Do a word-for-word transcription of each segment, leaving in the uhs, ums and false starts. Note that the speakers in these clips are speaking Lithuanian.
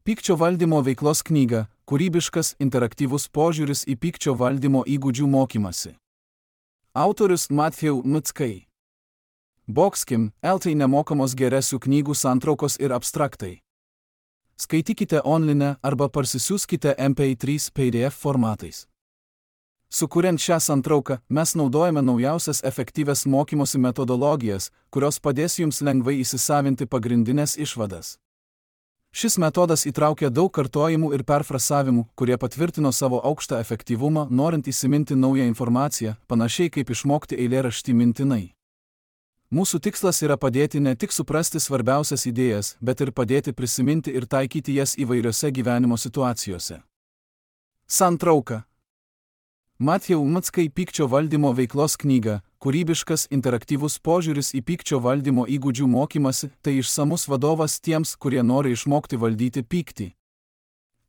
Pykčio valdymo veiklos knyga – kūrybiškas, interaktyvus požiūris į pykčio valdymo įgūdžių mokymasi. Autorius Matthew Mutskai. Boxkim, eltai nemokamos geresių knygų santraukos ir abstraktai. Skaitykite online arba parsisiųskite M P trys P D F formatais. Sukuriant šią santrauką, mes naudojame naujausias efektyvias mokymosi metodologijas, kurios padės jums lengvai įsisavinti pagrindinės išvadas. Šis metodas įtraukia daug kartojimų ir perfrasavimų, kurie patvirtino savo aukštą efektyvumą, norint įsiminti naują informaciją, panašiai kaip išmokti eilėraštį mintinai. Mūsų tikslas yra padėti ne tik suprasti svarbiausias idėjas, bet ir padėti prisiminti ir taikyti jas įvairiose gyvenimo situacijose. Santrauka. Matthew Mutskai Pykčio valdymo veiklos knyga – kūrybiškas, interaktyvus požiūris į pykčio valdymo įgūdžių mokymasi – tai išsamus vadovas tiems, kurie nori išmokti valdyti pyktį.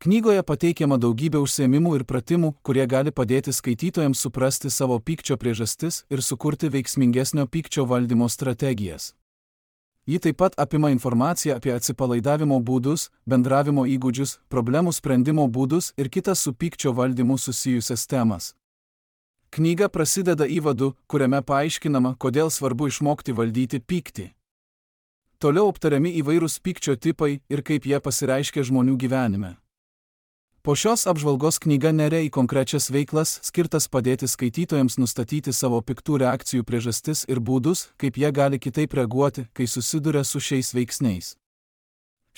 Knygoje pateikiama daugybė užsiėmimų ir pratimų, kurie gali padėti skaitytojams suprasti savo pykčio priežastis ir sukurti veiksmingesnio pykčio valdymo strategijas. Ji taip pat apima informaciją apie atsipalaidavimo būdus, bendravimo įgūdžius, problemų sprendimo būdus ir kitas su pykčio valdymu susijusias temas. Knyga prasideda įvadu, kuriame paaiškinama, kodėl svarbu išmokti valdyti pyktį. Toliau aptariami įvairūs pykčio tipai ir kaip jie pasireiškia žmonių gyvenime. Po šios apžvalgos knyga neria į konkrečias veiklas, skirtas padėti skaitytojams nustatyti savo piktų reakcijų priežastis ir būdus, kaip jie gali kitaip reaguoti, kai susiduria su šiais veiksniais.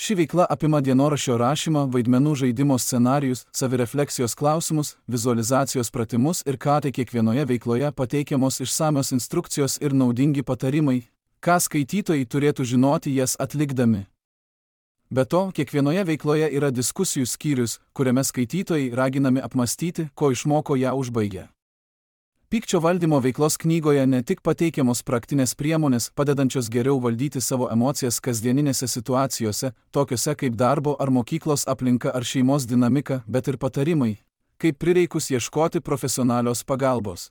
Ši veikla apima dienoraščio rašymą, vaidmenų žaidimo scenarijus, savirefleksijos klausimus, vizualizacijos pratimus ir ką tai kiekvienoje veikloje pateikiamos išsamios instrukcijos ir naudingi patarimai, ką skaitytojai turėtų žinoti jas atlikdami. Be to, kiekvienoje veikloje yra diskusijų skyrius, kuriame skaitytojai raginami apmastyti, ko išmoko ją užbaigę. Pykčio valdymo veiklos knygoje ne tik pateikiamos praktinės priemonės, padedančios geriau valdyti savo emocijas kasdieninėse situacijose, tokiose kaip darbo ar mokyklos aplinka ar šeimos dinamika, bet ir patarimai, kaip prireikus ieškoti profesionalios pagalbos.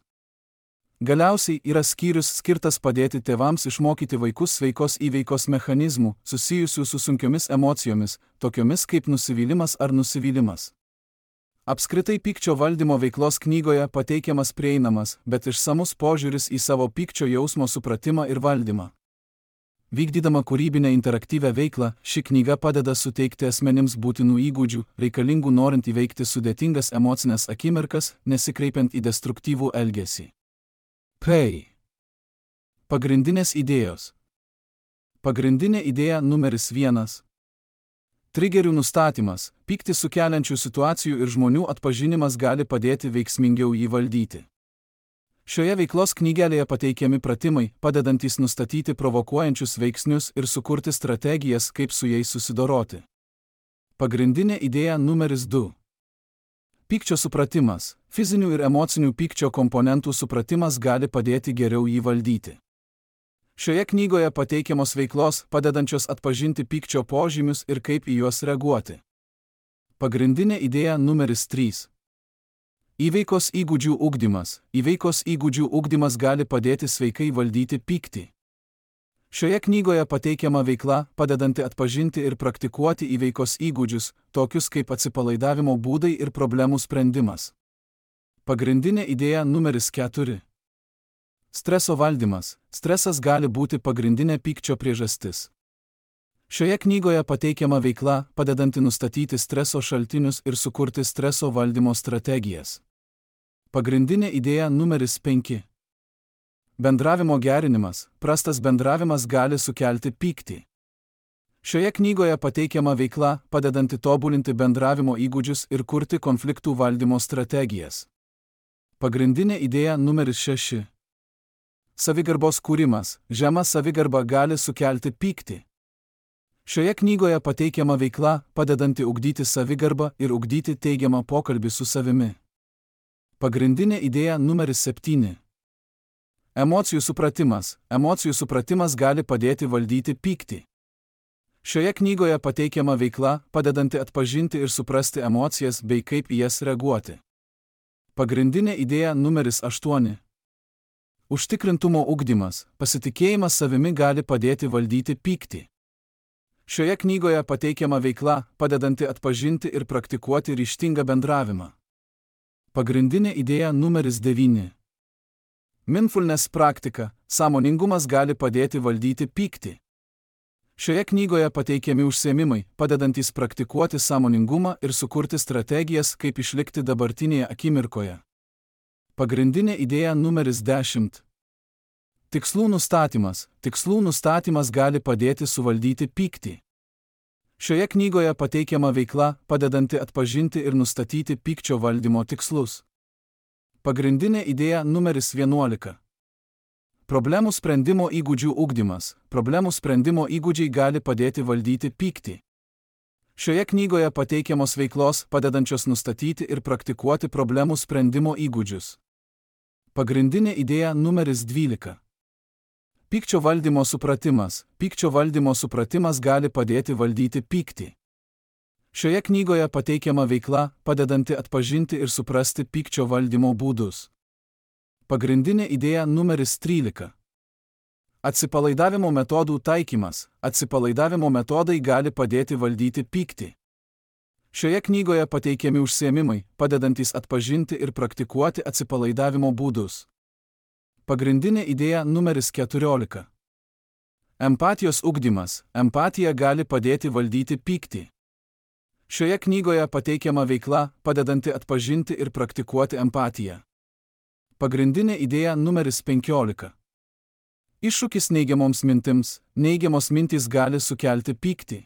Galiausiai yra skyrius skirtas padėti tėvams išmokyti vaikus sveikos įveikos mechanizmų, susijusių su sunkiomis emocijomis, tokiomis kaip nusivylimas ar nusivylimas. Apskritai pykčio valdymo veiklos knygoje pateikiamas prieinamas, bet išsamus požiūris į savo pykčio jausmo supratimą ir valdymą. Vykdydama kūrybinę interaktyvę veiklą, ši knyga padeda suteikti asmenims būtinų įgūdžių, reikalingų norint įveikti sudėtingas emocinės akimirkas, nesikreipiant į destruktyvų elgesį. P. Pagrindinės idėjos. Pagrindinė idėja numeris vienas. Trigerių nustatymas, pyktį sukeliančių situacijų ir žmonių atpažinimas gali padėti veiksmingiau jį valdyti. Šioje veiklos knygelėje pateikiami pratimai, padedantys nustatyti provokuojančius veiksnius ir sukurti strategijas, kaip su jais susidoroti. Pagrindinė idėja numeris du. Pykčio supratimas, fizinių ir emocinių pykčio komponentų supratimas gali padėti geriau jį valdyti. Šioje knygoje pateikiamos veiklos, padedančios atpažinti pykčio požymius ir kaip į juos reaguoti. Pagrindinė idėja numeris trys. Įveikos įgūdžių ugdymas. Įveikos įgūdžių ugdymas gali padėti sveikai valdyti pyktį. Šioje knygoje pateikiama veikla, padedanti atpažinti ir praktikuoti įveikos įgūdžius, tokius kaip atsipalaidavimo būdai ir problemų sprendimas. Pagrindinė idėja numeris keturi. Streso valdymas. Stresas gali būti pagrindinė pykčio priežastis. Šioje knygoje pateikiama veikla, padedanti nustatyti streso šaltinius ir sukurti streso valdymo strategijas. Pagrindinė idėja numeris penki. Bendravimo gerinimas. Prastas bendravimas gali sukelti pyktį. Šioje knygoje pateikiama veikla, padedanti tobulinti bendravimo įgūdžius ir kurti konfliktų valdymo strategijas. Pagrindinė idėja numeris šeši. Savigarbos kūrimas. Žema savigarba gali sukelti pyktį. Šioje knygoje pateikiama veikla, padedanti ugdyti savigarbą ir ugdyti teigiamą pokalbį su savimi. Pagrindinė idėja numeris septyni. Emocijų supratimas. Emocijų supratimas gali padėti valdyti pyktį. Šioje knygoje pateikiama veikla, padedanti atpažinti ir suprasti emocijas bei kaip į jas reaguoti. Pagrindinė idėja numeris aštuoni. Užtikrintumo ugdymas. Pasitikėjimas savimi gali padėti valdyti pyktį. Šioje knygoje pateikiama veikla, padedanti atpažinti ir praktikuoti ryžtingą bendravimą. Pagrindinė idėja numeris devyni. Mindfulness praktika, sąmoningumas gali padėti valdyti pyktį. Šioje knygoje pateikiami užsiėmimai, padedantys praktikuoti sąmoningumą ir sukurti strategijas, kaip išlikti dabartinėje akimirkoje. Pagrindinė idėja numeris dešimt. Tikslų nustatymas. Tikslų nustatymas gali padėti suvaldyti pyktį. Šioje knygoje pateikiama veikla, padedanti atpažinti ir nustatyti pykčio valdymo tikslus. Pagrindinė idėja numeris vienuolika. Problemų sprendimo įgūdžių ugdymas. Problemų sprendimo įgūdžiai gali padėti valdyti pyktį. Šioje knygoje pateikiamos veiklos, padedančios nustatyti ir praktikuoti problemų sprendimo įgūdžius. Pagrindinė idėja numeris dvylika. Pykčio valdymo supratimas. Pykčio valdymo supratimas gali padėti valdyti pyktį. Šioje knygoje pateikiama veikla, padedanti atpažinti ir suprasti pykčio valdymo būdus. Pagrindinė idėja numeris trylika. Atsipalaidavimo metodų taikymas. Atsipalaidavimo metodai gali padėti valdyti pyktį. Šioje knygoje pateikiami užsiėmimai, padedantys atpažinti ir praktikuoti atsipalaidavimo būdus. Pagrindinė idėja numeris keturiolika. Empatijos ugdymas. Empatija gali padėti valdyti pyktį. Šioje knygoje pateikiama veikla, padedanti atpažinti ir praktikuoti empatiją. Pagrindinė idėja numeris penkiolika. Iššūkis neigiamoms mintims. Neigiamos mintys gali sukelti pyktį.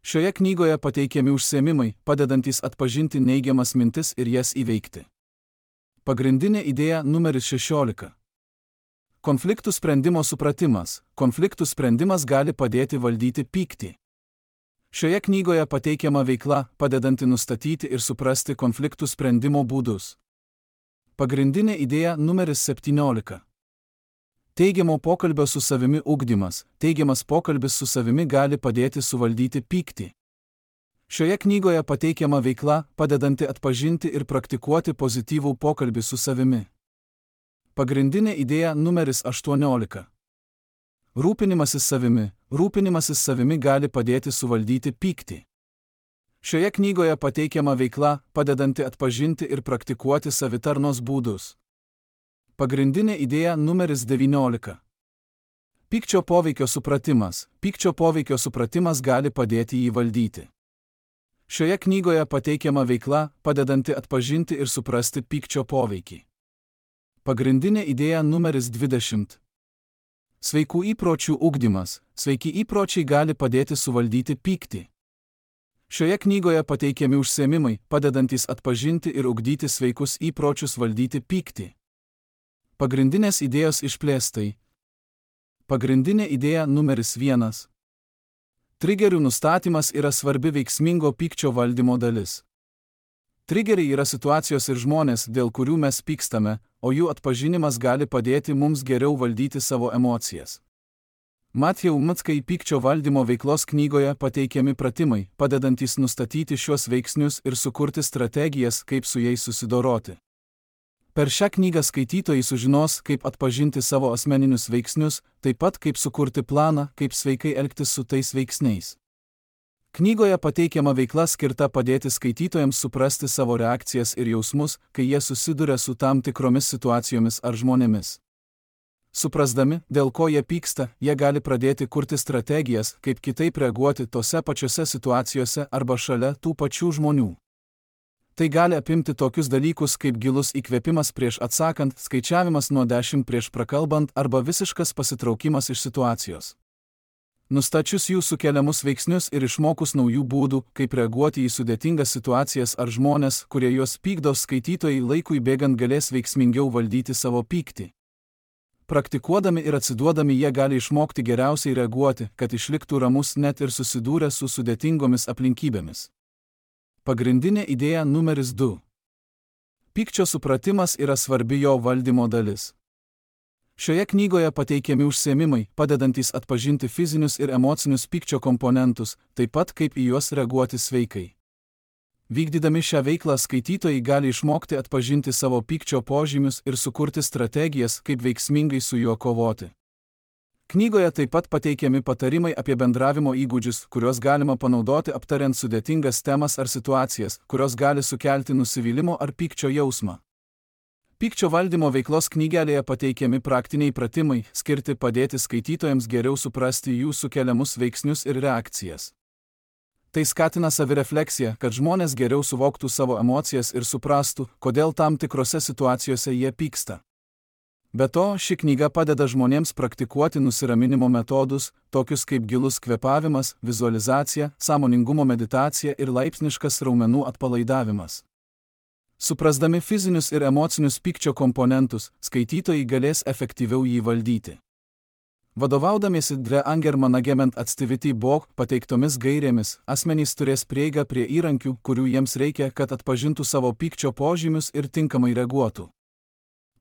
Šioje knygoje pateikiami užsiėmimai, padedantys atpažinti neigiamas mintis ir jas įveikti. Pagrindinė idėja numeris šešiolika. Konfliktų sprendimo supratimas. Konfliktų sprendimas gali padėti valdyti pyktį. Šioje knygoje pateikiama veikla, padedanti nustatyti ir suprasti konfliktų sprendimo būdus. Pagrindinė idėja numeris septyniolika. Teigiamo pokalbio su savimi ugdymas. Teigiamas pokalbis su savimi gali padėti suvaldyti pyktį. Šioje knygoje pateikiama veikla, padedanti atpažinti ir praktikuoti pozityvų pokalbį su savimi. Pagrindinė idėja numeris aštuoniolika. Rūpinimasis savimi. Rūpinimasis savimi gali padėti suvaldyti pyktį. Šioje knygoje pateikiama veikla, padedanti atpažinti ir praktikuoti savitarnos būdus. Pagrindinė idėja numeris devyniolika. Pykčio poveikio supratimas. Pykčio poveikio supratimas gali padėti jį valdyti. Šioje knygoje pateikiama veikla, padedanti atpažinti ir suprasti pykčio poveikį. Pagrindinė idėja numeris dvidešimt. Sveikų įpročių ugdymas. Sveiki įpročiai gali padėti suvaldyti pyktį. Šioje knygoje pateikiami užsiėmimai, padedantys atpažinti ir ugdyti sveikus įpročius valdyti pyktį. Pagrindinės idėjos išplėstai. Pagrindinė idėja numeris vienas. Trigerių nustatymas yra svarbi veiksmingo pykčio valdymo dalis. Trigeriai yra situacijos ir žmonės, dėl kurių mes pykstame, o jų atpažinimas gali padėti mums geriau valdyti savo emocijas. Matthew Mckai pykčio valdymo veiklos knygoje pateikiami pratimai, padedantys nustatyti šiuos veiksnius ir sukurti strategijas, kaip su jais susidoroti. Per šią knygą skaitytojai sužinos, kaip atpažinti savo asmeninius veiksnius, taip pat kaip sukurti planą, kaip sveikai elgtis su tais veiksniais. Knygoje pateikiama veikla skirta padėti skaitytojams suprasti savo reakcijas ir jausmus, kai jie susiduria su tam tikromis situacijomis ar žmonėmis. Suprasdami, dėl ko jie pyksta, jie gali pradėti kurti strategijas, kaip kitaip reaguoti tose pačiose situacijose arba šalia tų pačių žmonių. Tai gali apimti tokius dalykus kaip gilus įkvėpimas prieš atsakant, skaičiavimas nuo dešimt prieš prakalbant arba visiškas pasitraukimas iš situacijos. Nustačius jų sukeliamus veiksnius ir išmokus naujų būdų, kaip reaguoti į sudėtingas situacijas ar žmonės, kurie juos pykdo, skaitytojai laikui bėgant galės veiksmingiau valdyti savo pyktį. Praktikuodami ir atsiduodami jie gali išmokti geriausiai reaguoti, kad išliktų ramus net ir susidūrę su sudėtingomis aplinkybėmis. Pagrindinė idėja numeris du. Pykčio supratimas yra svarbi jo valdymo dalis. Šioje knygoje pateikiami užsiėmimai, padedantys atpažinti fizinius ir emocinius pykčio komponentus, taip pat kaip į juos reaguoti sveikai. Vykdydami šią veiklą skaitytojai gali išmokti atpažinti savo pykčio požymius ir sukurti strategijas, kaip veiksmingai su juo kovoti. Knygoje taip pat pateikiami patarimai apie bendravimo įgūdžius, kuriuos galima panaudoti aptariant sudėtingas temas ar situacijas, kurios gali sukelti nusivylimo ar pykčio jausmą. Pykčio valdymo veiklos knygelėje pateikiami praktiniai pratimai, skirti padėti skaitytojams geriau suprasti jų sukeliamus veiksnius ir reakcijas. Tai skatina savirefleksiją, kad žmonės geriau suvoktų savo emocijas ir suprastų, kodėl tam tikrose situacijose jie pyksta. Be to, ši knyga padeda žmonėms praktikuoti nusiraminimo metodus, tokius kaip gilus kvėpavimas, vizualizacija, sąmoningumo meditacija ir laipsniškas raumenų atpalaidavimas. Suprasdami fizinius ir emocinius pykčio komponentus, skaitytojai galės efektyviau jį valdyti. Vadovaudamiesi The Anger Management Activity Book pateiktomis gairėmis, asmenys turės prieigą prie įrankių, kurių jiems reikia, kad atpažintų savo pykčio požymius ir tinkamai reaguotų.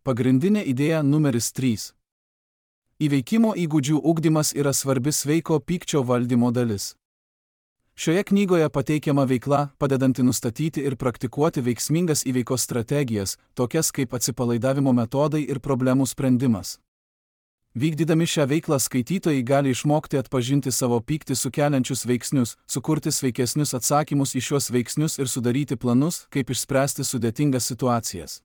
Pagrindinė idėja numeris trys. Įveikimo įgūdžių ugdymas yra svarbi sveiko pykčio valdymo dalis. Šioje knygoje pateikiama veikla, padedanti nustatyti ir praktikuoti veiksmingas įveikos strategijas, tokias kaip atsipalaidavimo metodai ir problemų sprendimas. Vykdydami šią veiklą skaitytojai gali išmokti atpažinti savo pyktį sukeliančius veiksnius, sukurti sveikesnius atsakymus į šiuos veiksnius ir sudaryti planus, kaip išspręsti sudėtingas situacijas.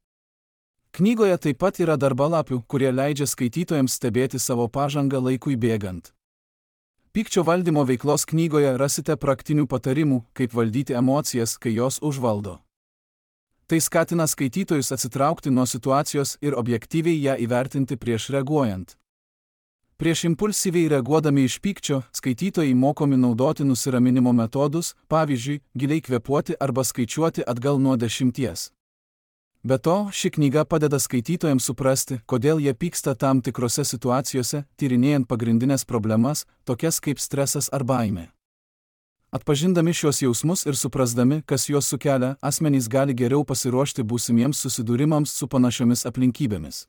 Knygoje taip pat yra darbalapių, kurie leidžia skaitytojams stebėti savo pažangą laikui bėgant. Pykčio valdymo veiklos knygoje rasite praktinių patarimų, kaip valdyti emocijas, kai jos užvaldo. Tai skatina skaitytojus atsitraukti nuo situacijos ir objektyviai ją įvertinti prieš reaguojant. Prieš impulsyviai reaguodami iš pykčio, skaitytojai mokomi naudoti nusiraminimo metodus, pavyzdžiui, giliai kvėpuoti arba skaičiuoti atgal nuo dešimties. Be to, ši knyga padeda skaitytojams suprasti, kodėl jie pyksta tam tikrose situacijose, tyrinėjant pagrindinės problemas, tokias kaip stresas ar baimė. Atpažindami šios jausmus ir suprasdami, kas juos sukelia, asmenys gali geriau pasiruošti būsimiems susidūrimams su panašiomis aplinkybėmis.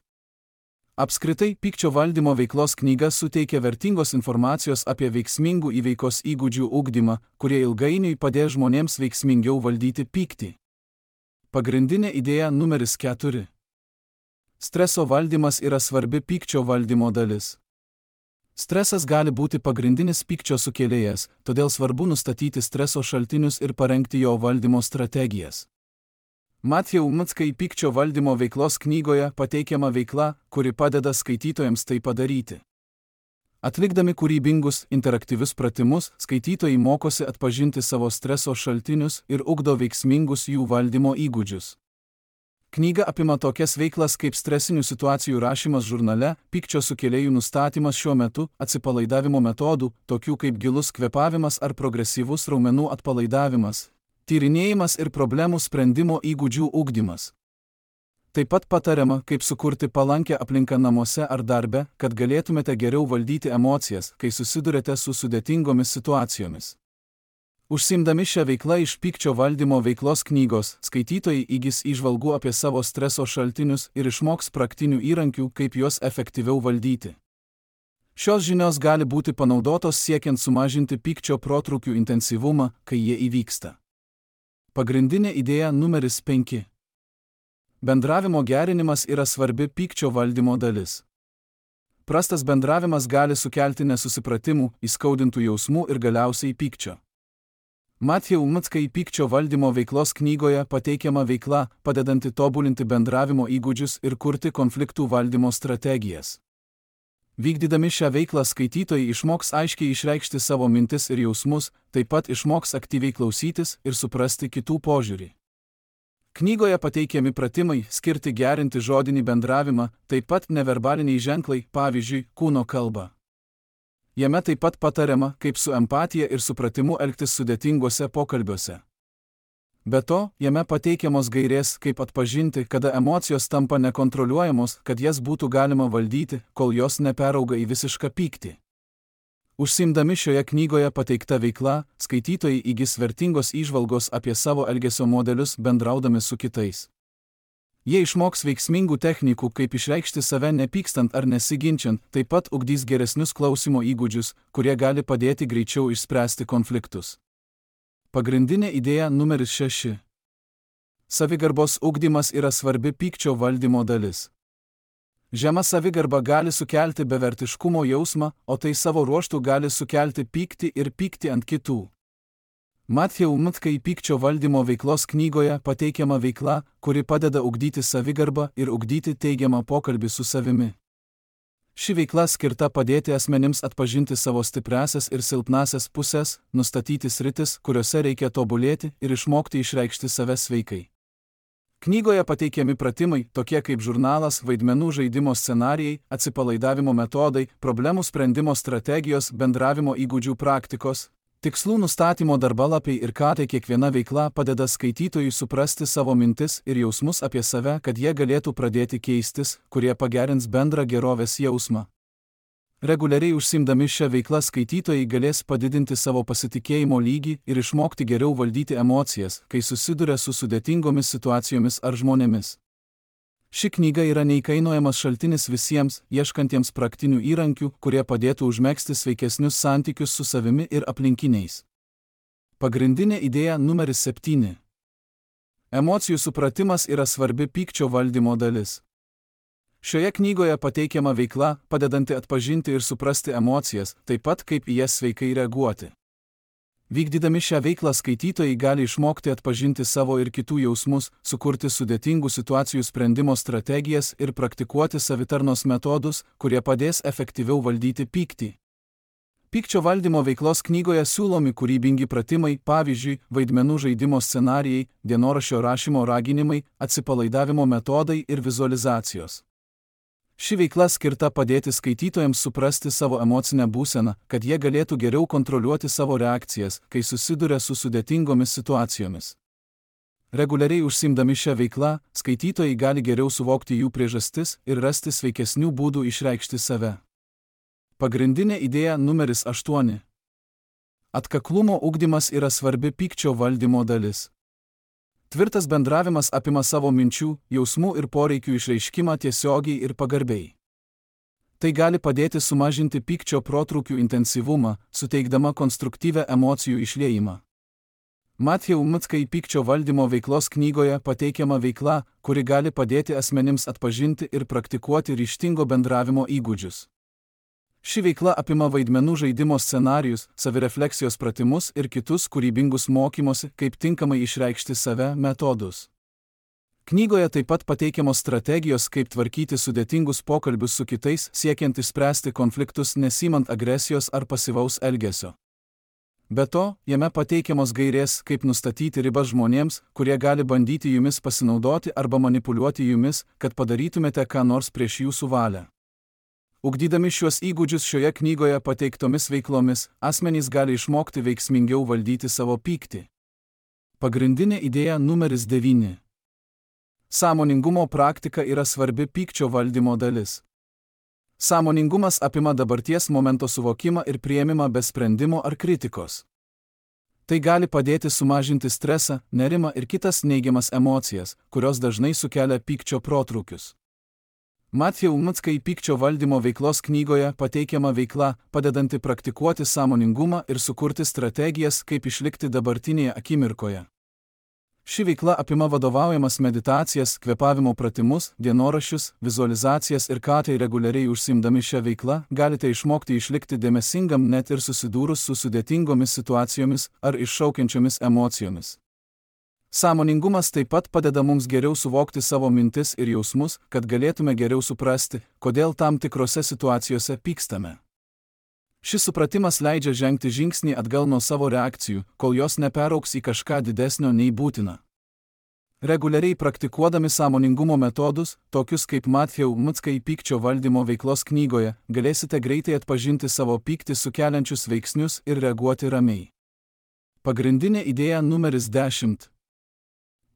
Apskritai, pykčio valdymo veiklos knyga suteikia vertingos informacijos apie veiksmingų įveikos įgūdžių ugdymą, kurie ilgainiui padės žmonėms veiksmingiau valdyti pyktį. Pagrindinė idėja numeris keturi. Streso valdymas yra svarbi pykčio valdymo dalis. Stresas gali būti pagrindinis pykčio sukėlėjas, todėl svarbu nustatyti streso šaltinius ir parengti jo valdymo strategijas. Matthew Mitskai pykčio valdymo veiklos knygoje pateikiama veikla, kuri padeda skaitytojams tai padaryti. Atlikdami kūrybingus, interaktyvius pratimus, skaitytojai mokosi atpažinti savo streso šaltinius ir ugdo veiksmingus jų valdymo įgūdžius. Knyga apima tokias veiklas kaip stresinių situacijų rašymas žurnale, pykčio sukėlėjų nustatymas šiuo metu, atsipalaidavimo metodų, tokių kaip gilus kvėpavimas ar progresyvus raumenų atpalaidavimas, tyrinėjimas ir problemų sprendimo įgūdžių ugdymas. Taip pat patariama, kaip sukurti palankę aplinką namuose ar darbe, kad galėtumėte geriau valdyti emocijas, kai susidurėte su sudėtingomis situacijomis. Užsiimdami šią veiklą iš pykčio valdymo veiklos knygos, skaitytojai įgis įžvalgų apie savo streso šaltinius ir išmoks praktinių įrankių, kaip juos efektyviau valdyti. Šios žinios gali būti panaudotos siekiant sumažinti pykčio protrūkių intensyvumą, kai jie įvyksta. Pagrindinė idėja numeris penki. Bendravimo gerinimas yra svarbi pykčio valdymo dalis. Prastas bendravimas gali sukelti nesusipratimų, įskaudintų jausmų ir galiausiai pykčio. Matthew Mitskai pykčio valdymo veiklos knygoje pateikiama veikla, padedanti tobulinti bendravimo įgūdžius ir kurti konfliktų valdymo strategijas. Vykdydami šią veiklą skaitytojai išmoks aiškiai išreikšti savo mintis ir jausmus, taip pat išmoks aktyviai klausytis ir suprasti kitų požiūrį. Knygoje pateikiami pratimai skirti gerinti žodinį bendravimą, taip pat neverbaliniai ženklai, pavyzdžiui, kūno kalba. Jame taip pat patariama, kaip su empatija ir supratimu elgtis sudėtinguose pokalbiuose. Be to, jame pateikiamos gairės, kaip atpažinti, kada emocijos tampa nekontroliuojamos, kad jas būtų galima valdyti, kol jos neperauga į visišką pyktį. Užsiimdami šioje knygoje pateikta veikla, skaitytojai įgis vertingos įžvalgos apie savo elgesio modelius bendraudami su kitais. Jie išmoks veiksmingų technikų, kaip išreikšti save nepykstant ar nesiginčiant, taip pat ugdys geresnius klausimo įgūdžius, kurie gali padėti greičiau išspręsti konfliktus. Pagrindinė idėja numeris šeši. Savigarbos ugdymas yra svarbi pykčio valdymo dalis. Žema savigarba gali sukelti bevertiškumo jausmą, o tai savo ruožtu gali sukelti pyktį ir pyktį ant kitų. Matthew McKay pykčio valdymo veiklos knygoje pateikiama veikla, kuri padeda ugdyti savigarbą ir ugdyti teigiamą pokalbį su savimi. Ši veikla skirta padėti asmenims atpažinti savo stipriasias ir silpnasias pusės, nustatyti sritis, kuriuose reikia tobulėti ir išmokti išreikšti save sveikai. Knygoje pateikiami pratimai, tokie kaip žurnalas, vaidmenų žaidimo scenarijai, atsipalaidavimo metodai, problemų sprendimo strategijos, bendravimo įgūdžių praktikos, tikslų nustatymo darbalapiai ir ką tai kiekviena veikla padeda skaitytojui suprasti savo mintis ir jausmus apie save, kad jie galėtų pradėti keistis, kurie pagerins bendrą gerovės jausmą. Reguliariai užsiimdami šią veiklą skaitytojai galės padidinti savo pasitikėjimo lygį ir išmokti geriau valdyti emocijas, kai susiduria su sudėtingomis situacijomis ar žmonėmis. Ši knyga yra neįkainojamas šaltinis visiems, ieškantiems praktinių įrankių, kurie padėtų užmegzti sveikesnius santykius su savimi ir aplinkiniais. Pagrindinė idėja numeris septyni. Emocijų supratimas yra svarbi pykčio valdymo dalis. Šioje knygoje pateikiama veikla, padedanti atpažinti ir suprasti emocijas, taip pat kaip į jas sveikai reaguoti. Vykdydami šią veiklą skaitytojai gali išmokti atpažinti savo ir kitų jausmus, sukurti sudėtingų situacijų sprendimo strategijas ir praktikuoti savitarnos metodus, kurie padės efektyviau valdyti pyktį. Pykčio valdymo veiklos knygoje siūlomi kūrybingi pratimai, pavyzdžiui, vaidmenų žaidimo scenarijai, dienoraščio rašymo raginimai, atsipalaidavimo metodai ir vizualizacijos. Ši veikla skirta padėti skaitytojams suprasti savo emocinę būseną, kad jie galėtų geriau kontroliuoti savo reakcijas, kai susiduria su sudėtingomis situacijomis. Reguliariai užsiimdami šią veiklą, skaitytojai gali geriau suvokti jų priežastis ir rasti sveikesnių būdų išreikšti save. Pagrindinė idėja numeris aštuoni. Atkaklumo ugdymas yra svarbi pykčio valdymo dalis. Tvirtas bendravimas apima savo minčių, jausmų ir poreikių išreiškimą tiesiogiai ir pagarbiai. Tai gali padėti sumažinti pykčio protrūkių intensyvumą, suteikdama konstruktyvią emocijų išliejimą. Matthew McKay pykčio valdymo veiklos knygoje pateikiama veikla, kuri gali padėti asmenims atpažinti ir praktikuoti ryžtingo bendravimo įgūdžius. Ši veikla apima vaidmenų žaidimo scenarijus, savirefleksijos pratimus ir kitus kūrybingus mokymosi, kaip tinkamai išreikšti save metodus. Knygoje taip pat pateikiamos strategijos, kaip tvarkyti sudėtingus pokalbius su kitais, siekiant išspręsti konfliktus nesimant agresijos ar pasyvaus elgesio. Be to, jame pateikiamos gairės, kaip nustatyti ribas žmonėms, kurie gali bandyti jumis pasinaudoti arba manipuliuoti jumis, kad padarytumėte ką nors prieš jūsų valią. Ugdydami šiuos įgūdžius šioje knygoje pateiktomis veiklomis, asmenys gali išmokti veiksmingiau valdyti savo pyktį. Pagrindinė idėja numeris devyni. Sąmoningumo praktika yra svarbi pykčio valdymo dalis. Sąmoningumas apima dabarties momento suvokimą ir priėmimą be sprendimo ar kritikos. Tai gali padėti sumažinti stresą, nerimą ir kitas neigiamas emocijas, kurios dažnai sukelia pykčio protrūkius. Matthew McKay pykčio valdymo veiklos knygoje pateikiama veikla, padedanti praktikuoti sąmoningumą ir sukurti strategijas, kaip išlikti dabartinėje akimirkoje. Ši veikla apima vadovaujamas meditacijas, kvėpavimo pratimus, dienoraščius, vizualizacijas ir ką tai reguliariai užsiimdami šią veiklą, galite išmokti išlikti dėmesingam net ir susidūrus su sudėtingomis situacijomis ar iššaukiančiomis emocijomis. Sąmoningumas taip pat padeda mums geriau suvokti savo mintis ir jausmus, kad galėtume geriau suprasti, kodėl tam tikrose situacijose pykstame. Šis supratimas leidžia žengti žingsnį atgal nuo savo reakcijų, kol jos neperaugs į kažką didesnio nei būtina. Reguliariai praktikuodami sąmoningumo metodus, tokius kaip Matthew McKay pykčio valdymo veiklos knygoje, galėsite greitai atpažinti savo pyktį sukeliančius veiksnius ir reaguoti ramiai. Pagrindinė idėja numeris dešimt.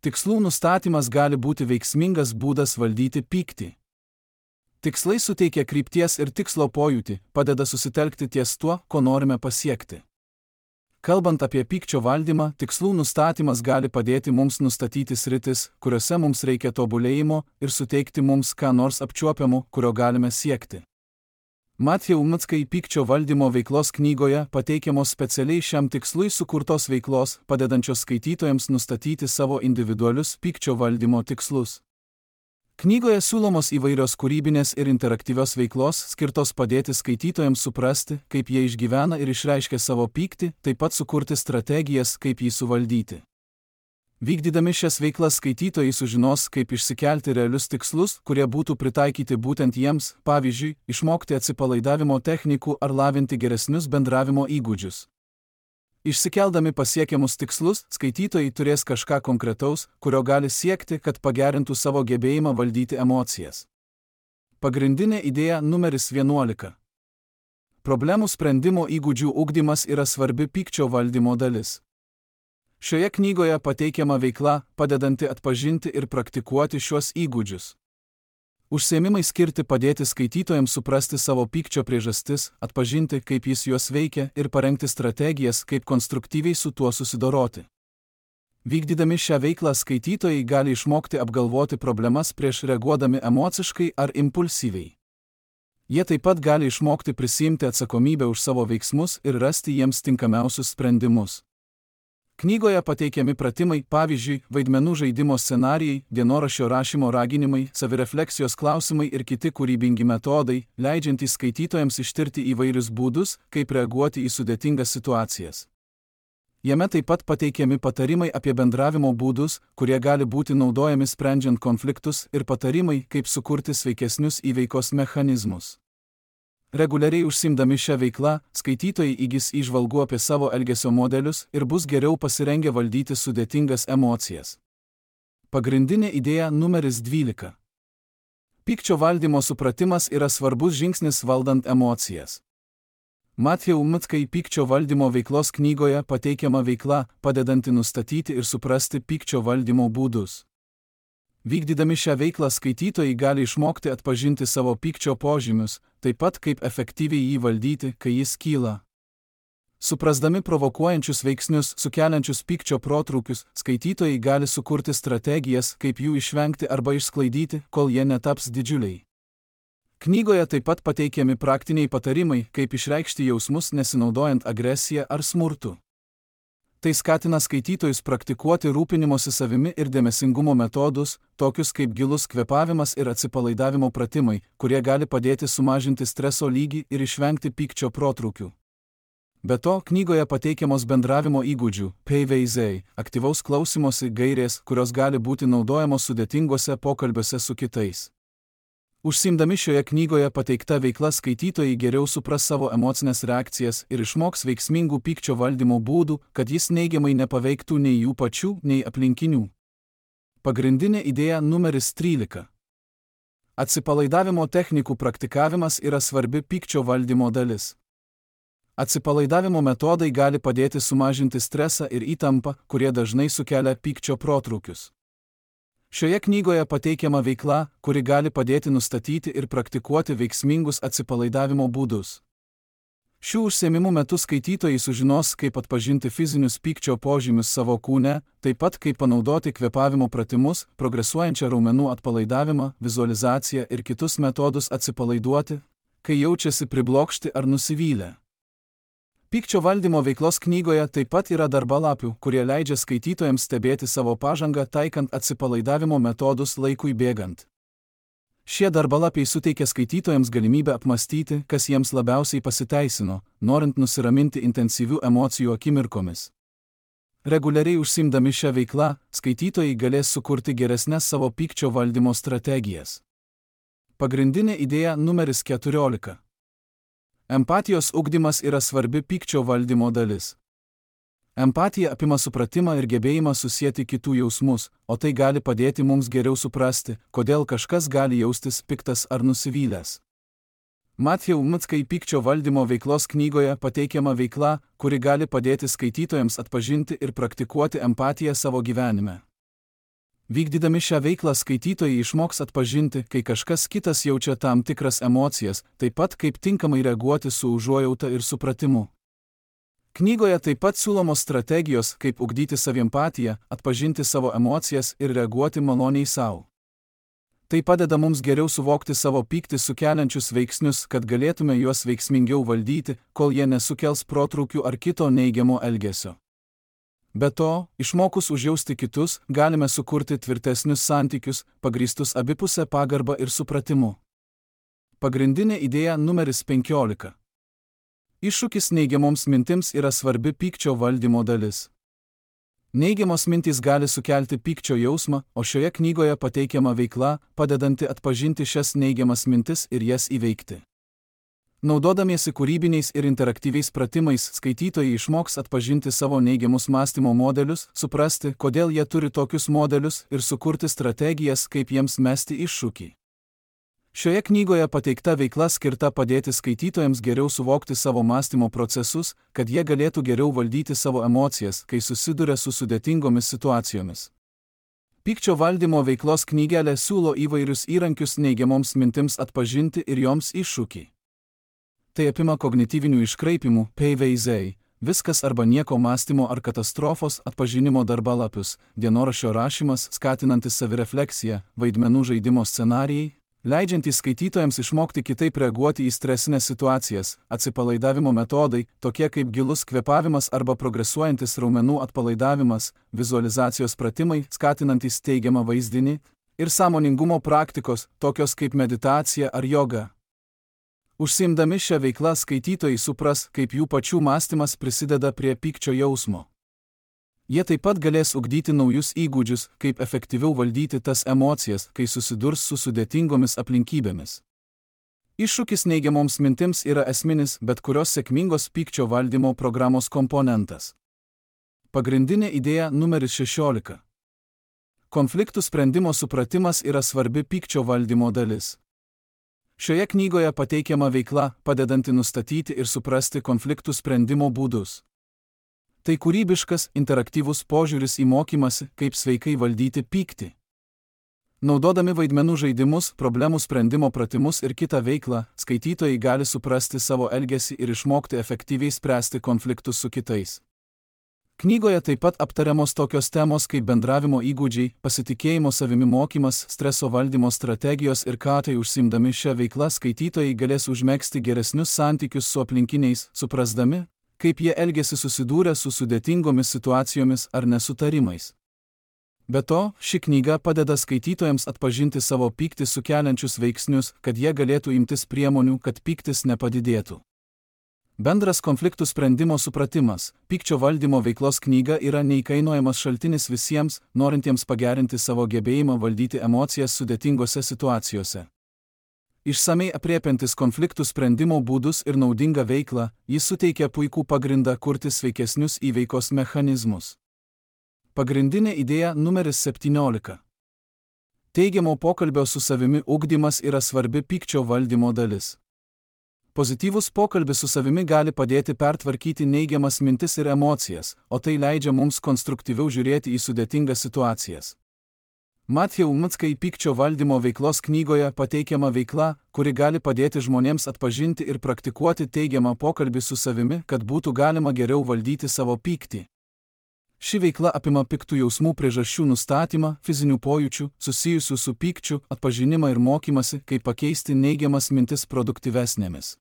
Tikslų nustatymas gali būti veiksmingas būdas valdyti pyktį. Tikslai suteikia krypties ir tikslo pojūtį, padeda susitelkti ties tuo, ko norime pasiekti. Kalbant apie pykčio valdymą, tikslų nustatymas gali padėti mums nustatyti sritis, kuriuose mums reikia tobulėjimo ir suteikti mums ką nors apčiuopiamo, kurio galime siekti. Matthew McKay pykčio valdymo veiklos knygoje pateikiamos specialiai šiam tikslui sukurtos veiklos, padedančios skaitytojams nustatyti savo individualius pykčio valdymo tikslus. Knygoje siūlomos įvairios kūrybinės ir interaktyvios veiklos skirtos padėti skaitytojams suprasti, kaip jie išgyvena ir išreiškia savo pyktį, taip pat sukurti strategijas, kaip jį suvaldyti. Vykdydami šias veiklas skaitytojai sužinos, kaip išsikelti realius tikslus, kurie būtų pritaikyti būtent jiems, pavyzdžiui, išmokti atsipalaidavimo technikų ar lavinti geresnius bendravimo įgūdžius. Išsikeldami pasiekiamus tikslus, skaitytojai turės kažką konkretaus, kurio gali siekti, kad pagerintų savo gebėjimą valdyti emocijas. Pagrindinė idėja numeris vienuolika. Problemų sprendimo įgūdžių ugdymas yra svarbi pykčio valdymo dalis. Šioje knygoje pateikiama veikla, padedanti atpažinti ir praktikuoti šiuos įgūdžius. Užsiėmimai skirti padėti skaitytojams suprasti savo pykčio priežastis, atpažinti, kaip jis juos veikia ir parengti strategijas, kaip konstruktyviai su tuo susidoroti. Vykdydami šią veiklą skaitytojai gali išmokti apgalvoti problemas prieš reaguodami emociškai ar impulsyviai. Jie taip pat gali išmokti prisiimti atsakomybę už savo veiksmus ir rasti jiems tinkamiausius sprendimus. Knygoje pateikiami pratimai, pavyzdžiui, vaidmenų žaidimo scenarijai, dienoraščio rašymo raginimai, savirefleksijos klausimai ir kiti kūrybingi metodai, leidžiantys skaitytojams ištirti įvairius būdus, kaip reaguoti į sudėtingas situacijas. Jame taip pat pateikiami patarimai apie bendravimo būdus, kurie gali būti naudojami sprendžiant konfliktus, ir patarimai, kaip sukurti sveikesnius įveikos mechanizmus. Reguliariai užsiimdami šią veiklą, skaitytojai įgis įžvalgų apie savo elgesio modelius ir bus geriau pasirengę valdyti sudėtingas emocijas. Pagrindinė idėja numeris dvylika. Pykčio valdymo supratimas yra svarbus žingsnis valdant emocijas. Matthew Mckai pykčio valdymo veiklos knygoje pateikiama veikla, padedanti nustatyti ir suprasti pykčio valdymo būdus. Vykdydami šią veiklą skaitytojai gali išmokti atpažinti savo pykčio požymius, taip pat kaip efektyviai jį valdyti, kai jis kyla. Suprasdami provokuojančius veiksnius, sukeliančius pykčio protrūkius, skaitytojai gali sukurti strategijas, kaip jų išvengti arba išsklaidyti, kol jie netaps didžiuliai. Knygoje taip pat pateikiami praktiniai patarimai, kaip išreikšti jausmus nesinaudojant agresiją ar smurtu. Tai skatina skaitytojus praktikuoti rūpinimosi savimi ir dėmesingumo metodus, tokius kaip gilus kvėpavimas ir atsipalaidavimo pratimai, kurie gali padėti sumažinti streso lygį ir išvengti pykčio protrūkių. Be to, knygoje pateikiamos bendravimo įgūdžių, P V Z, aktyvaus klausymosi gairės, kurios gali būti naudojamos sudėtingose pokalbiuose su kitais. Užsiimdami šioje knygoje pateikta veikla skaitytojai geriau supras savo emocinės reakcijas ir išmoks veiksmingų pykčio valdymo būdų, kad jis neigiamai nepaveiktų nei jų pačių, nei aplinkinių. Pagrindinė idėja numeris trylika. Atsipalaidavimo technikų praktikavimas yra svarbi pykčio valdymo dalis. Atsipalaidavimo metodai gali padėti sumažinti stresą ir įtampą, kurie dažnai sukelia pykčio protrūkius. Šioje knygoje pateikiama veikla, kuri gali padėti nustatyti ir praktikuoti veiksmingus atsipalaidavimo būdus. Šių užsiėmimų metu skaitytojai sužinos, kaip atpažinti fizinius pykčio požymius savo kūne, taip pat kaip panaudoti kvėpavimo pratimus, progresuojančią raumenų atpalaidavimą, vizualizaciją ir kitus metodus atsipalaiduoti, kai jaučiasi priblokšti ar nusivylę. Pykčio valdymo veiklos knygoje taip pat yra darbalapių, kurie leidžia skaitytojams stebėti savo pažangą taikant atsipalaidavimo metodus laikui bėgant. Šie darbalapiai suteikia skaitytojams galimybę apmastyti, kas jiems labiausiai pasiteisino, norint nusiraminti intensyvių emocijų akimirkomis. Reguliariai užsiimdami šią veiklą, skaitytojai galės sukurti geresnes savo pykčio valdymo strategijas. Pagrindinė idėja numeris keturiolika. Empatijos ugdymas yra svarbi pykčio valdymo dalis. Empatija apima supratimą ir gebėjimą susieti kitų jausmus, o tai gali padėti mums geriau suprasti, kodėl kažkas gali jaustis piktas ar nusivylęs. Matthew Mckai pykčio valdymo veiklos knygoje pateikiama veikla, kuri gali padėti skaitytojams atpažinti ir praktikuoti empatiją savo gyvenime. Vykdydami šią veiklą skaitytojai išmoks atpažinti, kai kažkas kitas jaučia tam tikras emocijas, taip pat kaip tinkamai reaguoti su užuojauta ir supratimu. Knygoje taip pat siūlomos strategijos, kaip ugdyti saviempatiją, atpažinti savo emocijas ir reaguoti maloniai savo. Tai padeda mums geriau suvokti savo pyktį sukeliančius veiksnius, kad galėtume juos veiksmingiau valdyti, kol jie nesukels protrūkių ar kito neigiamo elgesio. Be to, išmokus užjausti kitus, galime sukurti tvirtesnius santykius, pagrįstus abipusę pagarbą ir supratimu. Pagrindinė idėja numeris penkiolika. Iššūkis neigiamoms mintims yra svarbi pykčio valdymo dalis. Neigiamos mintys gali sukelti pykčio jausmą, o šioje knygoje pateikiama veikla, padedanti atpažinti šias neigiamas mintis ir jas įveikti. Naudodamiesi kūrybiniais ir interaktyviais pratimais, skaitytojai išmoks atpažinti savo neigiamus mąstymo modelius, suprasti, kodėl jie turi tokius modelius ir sukurti strategijas, kaip jiems mesti iššūkį. Šioje knygoje pateikta veikla skirta padėti skaitytojams geriau suvokti savo mąstymo procesus, kad jie galėtų geriau valdyti savo emocijas, kai susiduria su sudėtingomis situacijomis. Pykčio valdymo veiklos knygelė siūlo įvairius įrankius neigiamoms mintims atpažinti ir joms iššūkį. Tai apima kognityvinių iškraipimų, P V Z, viskas arba nieko mąstymo ar katastrofos atpažinimo darbalapius, dienoraščio rašymas, skatinantis savirefleksiją, vaidmenų žaidimo scenarijai, leidžiantys skaitytojams išmokti kitaip reaguoti į stresinės situacijas, atsipalaidavimo metodai, tokie kaip gilus kvėpavimas arba progresuojantis raumenų atpalaidavimas, vizualizacijos pratimai, skatinantys teigiamą vaizdinį, ir sąmoningumo praktikos, tokios kaip meditacija ar joga. Užsiimdami šią veiklą skaitytojai supras, kaip jų pačių mąstymas prisideda prie pykčio jausmo. Jie taip pat galės ugdyti naujus įgūdžius, kaip efektyviau valdyti tas emocijas, kai susidurs su sudėtingomis aplinkybėmis. Iššūkis neigiamoms mintims yra esminis bet kurios sėkmingos pykčio valdymo programos komponentas. Pagrindinė idėja numeris šešiolika. Konfliktų sprendimo supratimas yra svarbi pykčio valdymo dalis. Šioje knygoje pateikiama veikla, padedanti nustatyti ir suprasti konfliktų sprendimo būdus. Tai kūrybiškas, interaktyvus požiūris į mokymąsi, kaip sveikai valdyti pyktį. Naudodami vaidmenų žaidimus, problemų sprendimo pratimus ir kitą veiklą, skaitytojai gali suprasti savo elgesį ir išmokti efektyviai spręsti konfliktus su kitais. Knygoje taip pat aptariamos tokios temos kaip bendravimo įgūdžiai, pasitikėjimo savimi mokymas, streso valdymo strategijos ir ką tai užsiimdami šią veiklą skaitytojai galės užmegzti geresnius santykius su aplinkiniais, suprasdami, kaip jie elgiasi susidūrę su sudėtingomis situacijomis ar nesutarimais. Be to, ši knyga padeda skaitytojams atpažinti savo pyktį sukeliančius veiksnius, kad jie galėtų imtis priemonių, kad pyktis nepadidėtų. Bendras konfliktų sprendimo supratimas, pykčio valdymo veiklos knyga yra neįkainojamas šaltinis visiems, norintiems pagerinti savo gebėjimą valdyti emocijas sudėtingose situacijose. Išsamei aprėpiantis konfliktų sprendimo būdus ir naudingą veiklą, jis suteikia puikų pagrindą kurti sveikesnius įveikos mechanizmus. Pagrindinė idėja numeris septyniolika. Teigiamo pokalbio su savimi ugdymas yra svarbi pykčio valdymo dalis. Pozityvus pokalbis su savimi gali padėti pertvarkyti neigiamas mintis ir emocijas, o tai leidžia mums konstruktyviau žiūrėti į sudėtingas situacijas. Matthew Mickai pykčio valdymo veiklos knygoje pateikiama veikla, kuri gali padėti žmonėms atpažinti ir praktikuoti teigiamą pokalbį su savimi, kad būtų galima geriau valdyti savo pyktį. Ši veikla apima piktų jausmų priežasčių nustatymą, fizinių pojūčių, susijusių su pykčiu, atpažinimą ir mokymasi, kaip pakeisti neigiamas mintis produktyvesnėmis.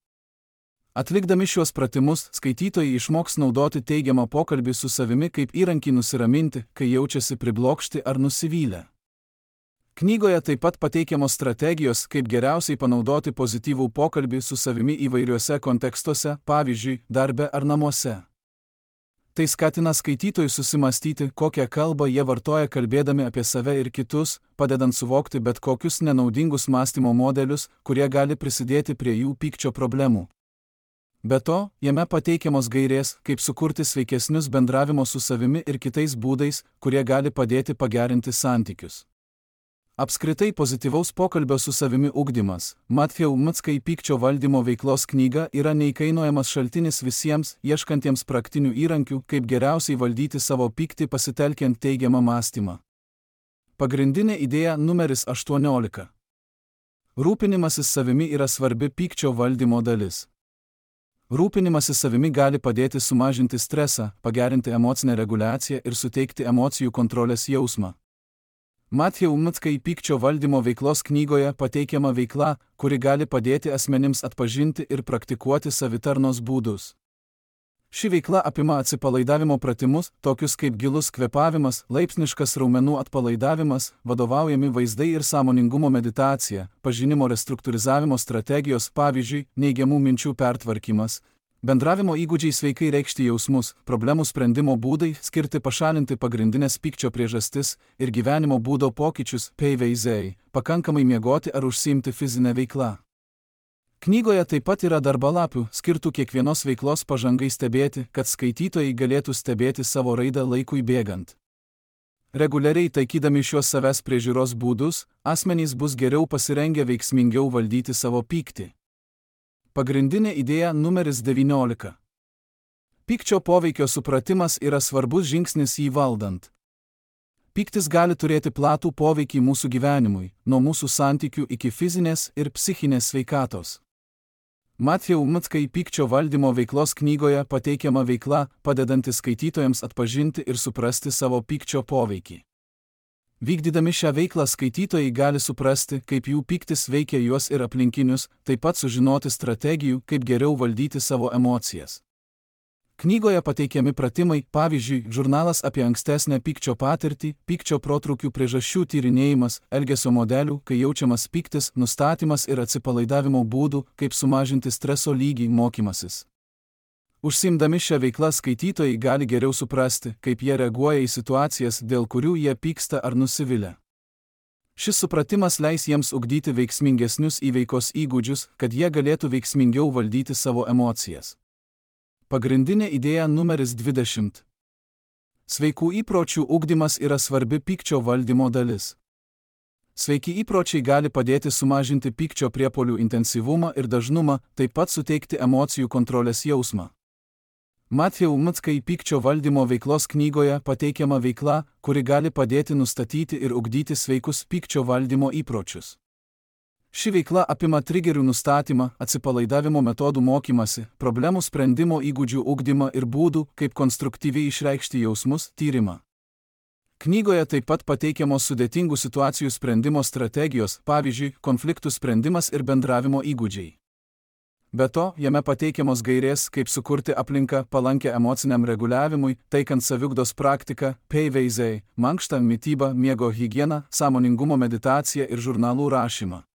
Atlikdami šiuos pratimus, skaitytojai išmoks naudoti teigiamą pokalbį su savimi kaip įrankį nusiraminti, kai jaučiasi priblokšti ar nusivylę. Knygoje taip pat pateikiamos strategijos, kaip geriausiai panaudoti pozityvų pokalbį su savimi įvairiuose kontekstuose, pavyzdžiui, darbe ar namuose. Tai skatina skaitytojus susimastyti, kokią kalbą jie vartoja kalbėdami apie save ir kitus, padedant suvokti bet kokius nenaudingus mąstymo modelius, kurie gali prisidėti prie jų pykčio problemų. Be to, jame pateikiamos gairės, kaip sukurti sveikesnius bendravimo su savimi ir kitais būdais, kurie gali padėti pagerinti santykius. Apskritai pozityvaus pokalbio su savimi ugdymas, Matthew Mickai pykčio valdymo veiklos knyga yra neįkainojamas šaltinis visiems, ieškantiems praktinių įrankių, kaip geriausiai valdyti savo pyktį pasitelkiant teigiamą mąstymą. Pagrindinė idėja numeris aštuoniolika. Rūpinimasis savimi yra svarbi pykčio valdymo dalis. Rūpinimasis savimi gali padėti sumažinti stresą, pagerinti emocinę reguliaciją ir suteikti emocijų kontrolės jausmą. Matthew Mickai pykčio valdymo veiklos knygoje pateikiama veikla, kuri gali padėti asmenims atpažinti ir praktikuoti savitarnos būdus. Ši veikla apima atsipalaidavimo pratimus, tokius kaip gilus kvėpavimas, laipsniškas raumenų atpalaidavimas, vadovaujami vaizdai ir sąmoningumo meditacija, pažinimo restruktūrizavimo strategijos, pavyzdžiui, neigiamų minčių pertvarkymas, bendravimo įgūdžiai sveikai reikšti jausmus, problemų sprendimo būdai, skirti pašalinti pagrindinės pykčio priežastis ir gyvenimo būdo pokyčius, peiveizei, pakankamai miegoti ar užsiimti fizinę veiklą. Knygoje taip pat yra darbalapių, skirtų kiekvienos veiklos pažangai stebėti, kad skaitytojai galėtų stebėti savo raidą laikui bėgant. Reguliariai taikydami šios savęs priežiūros būdus, asmenys bus geriau pasirengę veiksmingiau valdyti savo pyktį. Pagrindinė idėja numeris devyniolika. Pykčio poveikio supratimas yra svarbus žingsnis jį valdant. Pyktis gali turėti platų poveikį mūsų gyvenimui, nuo mūsų santykių iki fizinės ir psichinės sveikatos. Matthew Mckai pykčio valdymo veiklos knygoje pateikiama veikla, padedanti skaitytojams atpažinti ir suprasti savo pykčio poveikį. Vykdydami šią veiklą skaitytojai gali suprasti, kaip jų pyktis veikia juos ir aplinkinius, taip pat sužinoti strategijų, kaip geriau valdyti savo emocijas. Knygoje pateikiami pratimai, pavyzdžiui, žurnalas apie ankstesnę pykčio patirtį, pykčio protrūkių priežasčių tyrinėjimas, elgesio modelių, kai jaučiamas pyktis, nustatymas ir atsipalaidavimo būdų, kaip sumažinti streso lygį, mokymasis. Užsiimdami šią veiklą skaitytojai gali geriau suprasti, kaip jie reaguoja į situacijas, dėl kurių jie pyksta ar nusivilia. Šis supratimas leis jiems ugdyti veiksmingesnius įveikos įgūdžius, kad jie galėtų veiksmingiau valdyti savo emocijas. Pagrindinė idėja numeris dvidešimt. Sveikų įpročių ugdymas yra svarbi pykčio valdymo dalis. Sveiki įpročiai gali padėti sumažinti pykčio priepuolių intensyvumą ir dažnumą, taip pat suteikti emocijų kontrolės jausmą. Matthew Mckai pykčio valdymo veiklos knygoje pateikiama veikla, kuri gali padėti nustatyti ir ugdyti sveikus pykčio valdymo įpročius. Ši veikla apima trigerių nustatymą, atsipalaidavimo metodų mokymasi, problemų sprendimo įgūdžių ugdymą ir būdų, kaip konstruktyviai išreikšti jausmus, tyrimą. Knygoje taip pat pateikiamos sudėtingų situacijų sprendimo strategijos, pavyzdžiui, konfliktų sprendimas ir bendravimo įgūdžiai. Be to, jame pateikiamos gairės, kaip sukurti aplinką palankę emociniam reguliavimui, taikant saviugdos praktiką, peiveizei, mankštą, mitybą, miego higieną, sąmoningumo meditaciją ir žurnalų rašymą.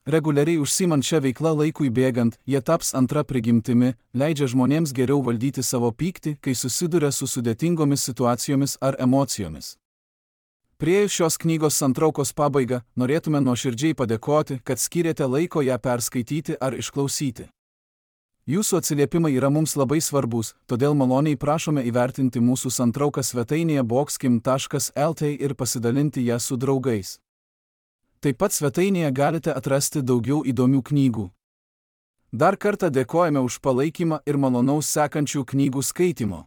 Reguliariai užsiimant šią veiklą laikui bėgant, jie taps antra prigimtimi, leidžia žmonėms geriau valdyti savo pyktį, kai susiduria su sudėtingomis situacijomis ar emocijomis. Priėjus šios knygos santraukos pabaigą, norėtume nuoširdžiai padėkoti, kad skyrėte laiko ją perskaityti ar išklausyti. Jūsų atsiliepimai yra mums labai svarbus, todėl maloniai prašome įvertinti mūsų santrauką svetainėje boxkim taškas lt ir pasidalinti ją su draugais. Taip pat svetainėje galite atrasti daugiau įdomių knygų. Dar kartą dėkojame už palaikymą ir malonaus sekančių knygų skaitymo.